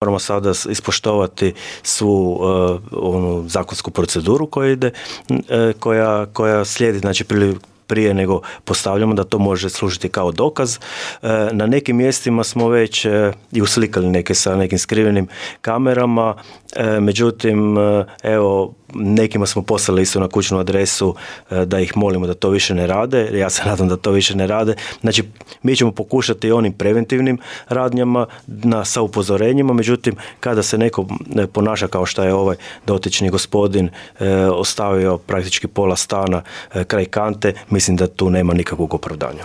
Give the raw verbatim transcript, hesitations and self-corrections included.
moramo sada ispoštovati svu uh, onu zakonsku proceduru koja ide, uh, koja, koja slijedi, znači prije, prije nego postavljamo da to može služiti kao dokaz. Uh, na nekim mjestima smo već uh, i uslikali neke sa nekim skrivenim kamerama, uh, međutim, uh, evo, nekima smo poslali isto na kućnu adresu da ih molimo da to više ne rade. Ja se nadam da to više ne rade. Znači, mi ćemo pokušati onim preventivnim radnjama na, sa upozorenjima, međutim, kada se neko ponaša kao što je ovaj dotični gospodin e, ostavio praktički pola stana e, kraj kante, mislim da tu nema nikakvog opravdanja.